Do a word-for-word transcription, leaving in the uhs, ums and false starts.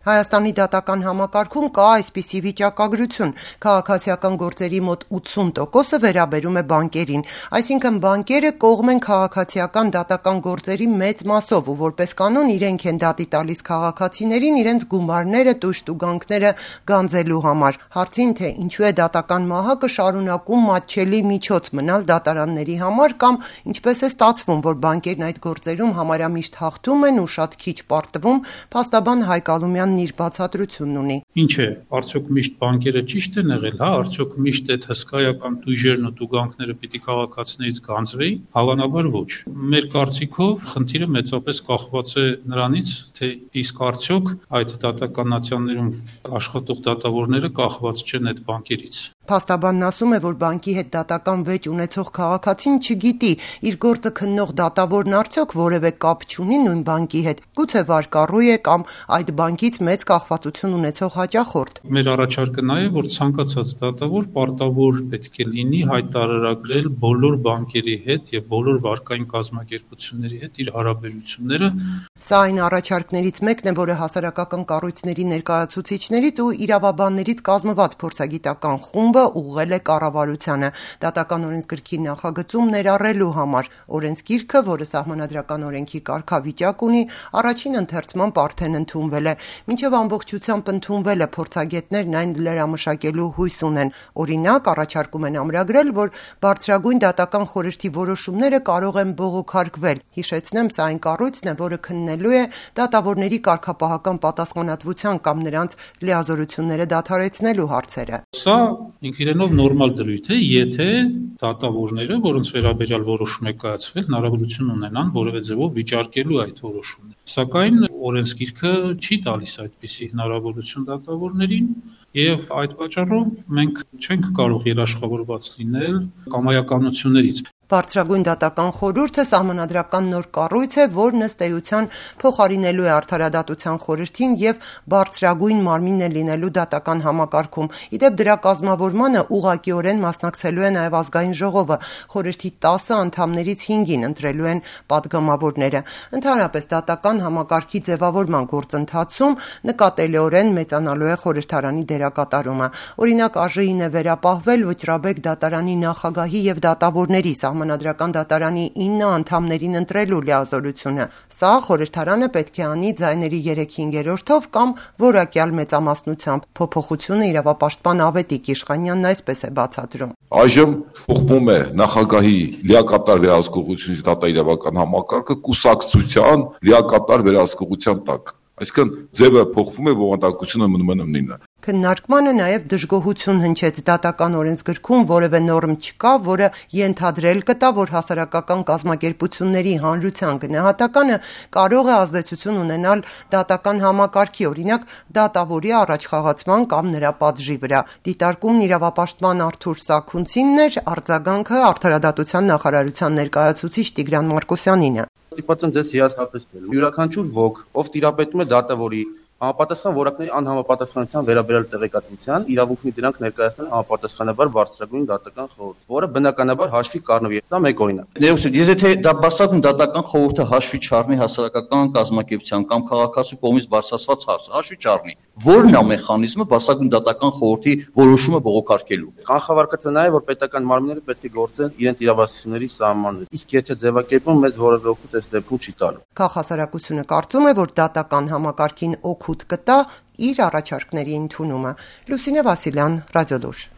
Հայաստանի դատական համակարգում կա այսպիսի վիճակագրություն. քաղաքացիական գործերի մոտ ութսուն տոկոսը վերաբերում է բանկերին, այսինքն բանկերը կողմ են քաղաքացիական դատական գործերի մեծ մասով ու որպես կանոն իրենք են դատի տալիս քաղաքացիներին իրենց գումարները, տույժ-տուգանքները գանձելու համար։ Հարցին, թե ինչու է դատական մահակը շարունակում մատչելի միջոց մնալ դատարանների համար կամ ինչպես է ստացվում, որ բանկերն այդ գործերում համարյա միշտ հաղթում են ու շատ քիչ պարտվում, փաստաբան Հայկ Ալումյանն իր բացատրությունն ունի։ Ինչ է, արդյոք միշտ բանկերը ճիշտ են եղել, հա, արդյոք միշտ այդ հսկայական տույժերն ու տուգանքները պիտի քաղաքացիներից գանձվեին, հավանաբար ոչ։ Մեր կարծիքով խնդիրը մեծապես կախված է նրանից, թե իսկ արդյոք այդ դատականացիաներում աշխատող դատավորները կախված չեն այդ բանկերից։ Փաստաբանն ասում է, որ բանկի հետ դատական վեճ ունեցող քաղաքացին չգիտի իր գործը քննող դատավորն արդյոք որևէ կապ չունի նույն բանկի հետ, գուցե վարկառու է կամ այդ բանկից մեծ կախվածություն ունեցող հաճախորդ։ Մեր առաջարկը նա է, որ ցանկացած դատավոր պարտավոր պետք է լինի հայտարարագրել բոլոր բանկերի հետ եւ բոլոր վարկային կազմակերպությունների հետ իր հարաբերությունները։ Սա այն առաջարկներից մեկն է, որը հասարակական կառույցների ներկայացուցիչներից ու իրավաբաններից կազմված փորձագիտական խումբը ուղղել է կառավարությանը դատական օրենսգրքի նախագծում ներառելու համար։ Օրենսգիրքը, որը սահմանադրական օրենքի կարգավիճակ ունի, առաջին ընթերցման արդեն ընդունվել է։ Մինչև ամբողջությամբ ընդունվելը փորձագետներն այն լրամշակելու հույս ունեն։ Օրինակ, առաջարկում են ամրագրել, որ բարձրագույն դատական խորհրդի որոշումները կարող են բողոքարկվել։ Հիշեցնեմ, սա այն կառույցն է, որը քննելու է դատավորների կարգապահական պատասխանատվության կամ նրանց լիազորությունները դադարեցնելու հարցերը։ Սա ինք իրենով նորմալ դրույթ է, եթե դատավորները, որոնց վերաբերյալ որոշում է կայացվել, հնարավորություն ունենան որևէ ձևով վիճարկելու այդ որոշումը։ Սակայն օրենսգիրքը չի տալիս այդպիսի հնարավորություն դատավորներին, եւ այդ պատճառով մենք չենք կարող երաշխավորված լինել կամայականություններից։ Բարձրագույն դատական խորհուրդը սահմանադրական նոր կառույց է, որն ըստ էության փոխարինելու է արդարադատության խորհրդին եւ բարձրագույն մարմին է լինելու դատական համակարգում։ Իդեպ դրա կազմավորմանը ուղղակիորեն մասնակցելու է նաեւ ազգային ժողովը, խորհրդի տասը անդամներից հինգին ընտրելու են падգամավորները։ Ընդհանրապես դատական համակարգի ձևավորման գործընթացում նկատելիորեն մեծանալու է խորհրդարանի դերակատարումը։ Օրինակ, ԱԺ-ին է վերապահվել Վճռաբեկ դատարանի նախագահի եւ դատավորների Սահմանադրական դատարանի ինը անդամներին ընտրելու լիազորությունը։ Սա խորհրդարանը պետք է անի ձայների երեք հինգերորդով կամ որակյալ մեծամասնությամբ։ Փոփոխությունը իրավապաշտպան Ավետիք Իշխանյանն այսպես է բացատրում։ Այժմ փոխվում է նախագահի լիակատար վերահսկողությունից դատաիրավական համակարգը կուսակցության լիակատար վերահսկողության տակ։ Այսինքն ձևը փոխվում է, բովանդակությունը մնում է նույնը։ Քննարկմանը նաև դժգոհություն հնչեց դատական օրենսգրքում որևէ նորմ չկա, որը ենթադրել կտա, որ հասարակական կազմակերպությունների հանրության գնահատականը կարող է ազդեցություն ունենալ դատական համակարգի, օրինակ դատավորի առաջխաղացման կամ նրա պատժի վրա։ Դիտարկումն իրավապաշտպան Արթուր Սաքունցինն էր, արձագանքը արդարադատության նախարարության ներկայացուցիչ Տիգրան Մարկոսյանինը։ Ստիպված եմ ձեզ հիասթափեցնել։ Յուրաքանչյուր ոք, ով տիրապետում է դատավորի համապատասխան որակների անհամապատասխանության վերաբերյալ տեղեկատվության իրավունք ունի դրանք ներկայացնել համապատասխանաբար բարձրագույն դատական խորհուրդ, որը բնականաբար հաշվի կառնվի։ Սա մեկ օրինակ։ Ներողություն, ես եթե դա բարձրագույն դատական խորհուրդը հաշվի չառնի հասարակական կազմակերպության կամ քաղաքացու կողմից բարձրացված հարցը, հաշվի չառնի, ո՞րն է մեխանիզմը բարձրագույն դատական խորհրդի որոշումը բողոքարկելու։ Կանխավարկածը նա է, որ պետական մարմինները պետք է գործեն իրենց իրավասությունների սահմաններում։ Իսկ եթե ձևակերպում մեզ որևէ օգուտ այս դեպքում չի տալու։ Քաղաքասարակությունը կարծում է, որ դատական համակարգին օգուտ կտա իր առաջարկների ընդունումը։ Լուսինե Վասիլյան, Ռադիոլուր։